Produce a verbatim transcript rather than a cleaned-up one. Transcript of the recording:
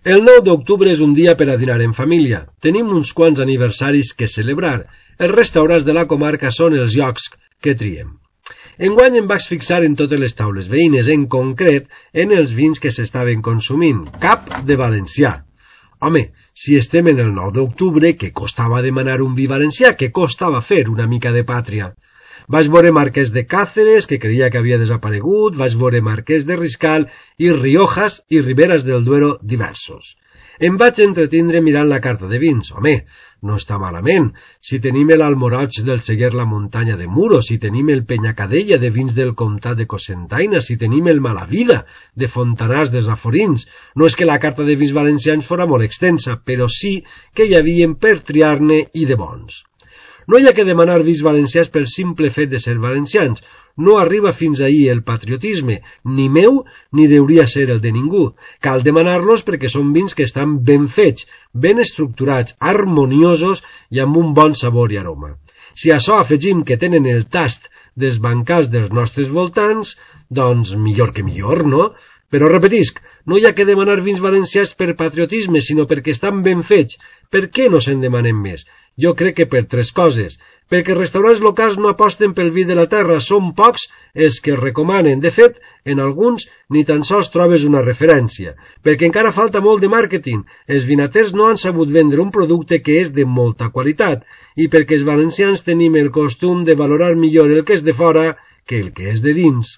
El nou d'octubre és un dia per a dinar en família. Tenim uns quants aniversaris que celebrar. Els restaurants de la comarca són els llocs que triem. Enguany em vaig fixar en totes les taules veïnes, en concret en els vins que s'estaven consumint. Cap de valencià. Home, si estem en el nou d'octubre, què costava demanar un vi valencià? Què costava fer una mica de pàtria? Vaig veure Marquès de Càceres, que creia que havia desaparegut, vaig veure Marquès de Riscal i Riojas i Riberas del Duero diversos. Em vaig entretindre mirant la carta de vins. Home, no està malament. Si tenim l'Almoroig del Seguer la Muntanya de Muro, si tenim el Penyacadella de vins del Comtat de Cocentaina, si tenim el Malavida de Fontanars dels Aforins. No és que la carta de vins valencians fora molt extensa, però sí que hi havia per triar-ne i de bons. No hi ha que demanar vins valencians pel simple fet de ser valencians. No arriba fins ahir el patriotisme, ni meu ni deuria ser el de ningú. Cal demanar-los perquè són vins que estan ben fets, ben estructurats, harmoniosos i amb un bon sabor i aroma. Si a això afegim que tenen el tast dels bancals dels nostres voltants, doncs millor que millor, no? Però repetisc, no hi ha que demanar vins valencians per patriotisme, sinó perquè estan ben fets. Per què no se'n demanem més? Jo crec que per tres coses. Perquè restaurants locals no aposten pel vi de la terra, són pocs els que recomanen. De fet, en alguns ni tan sols trobes una referència. Perquè encara falta molt de màrqueting. Els vinaters no han sabut vendre un producte que és de molta qualitat. I perquè els valencians tenim el costum de valorar millor el que és de fora que el que és de dins.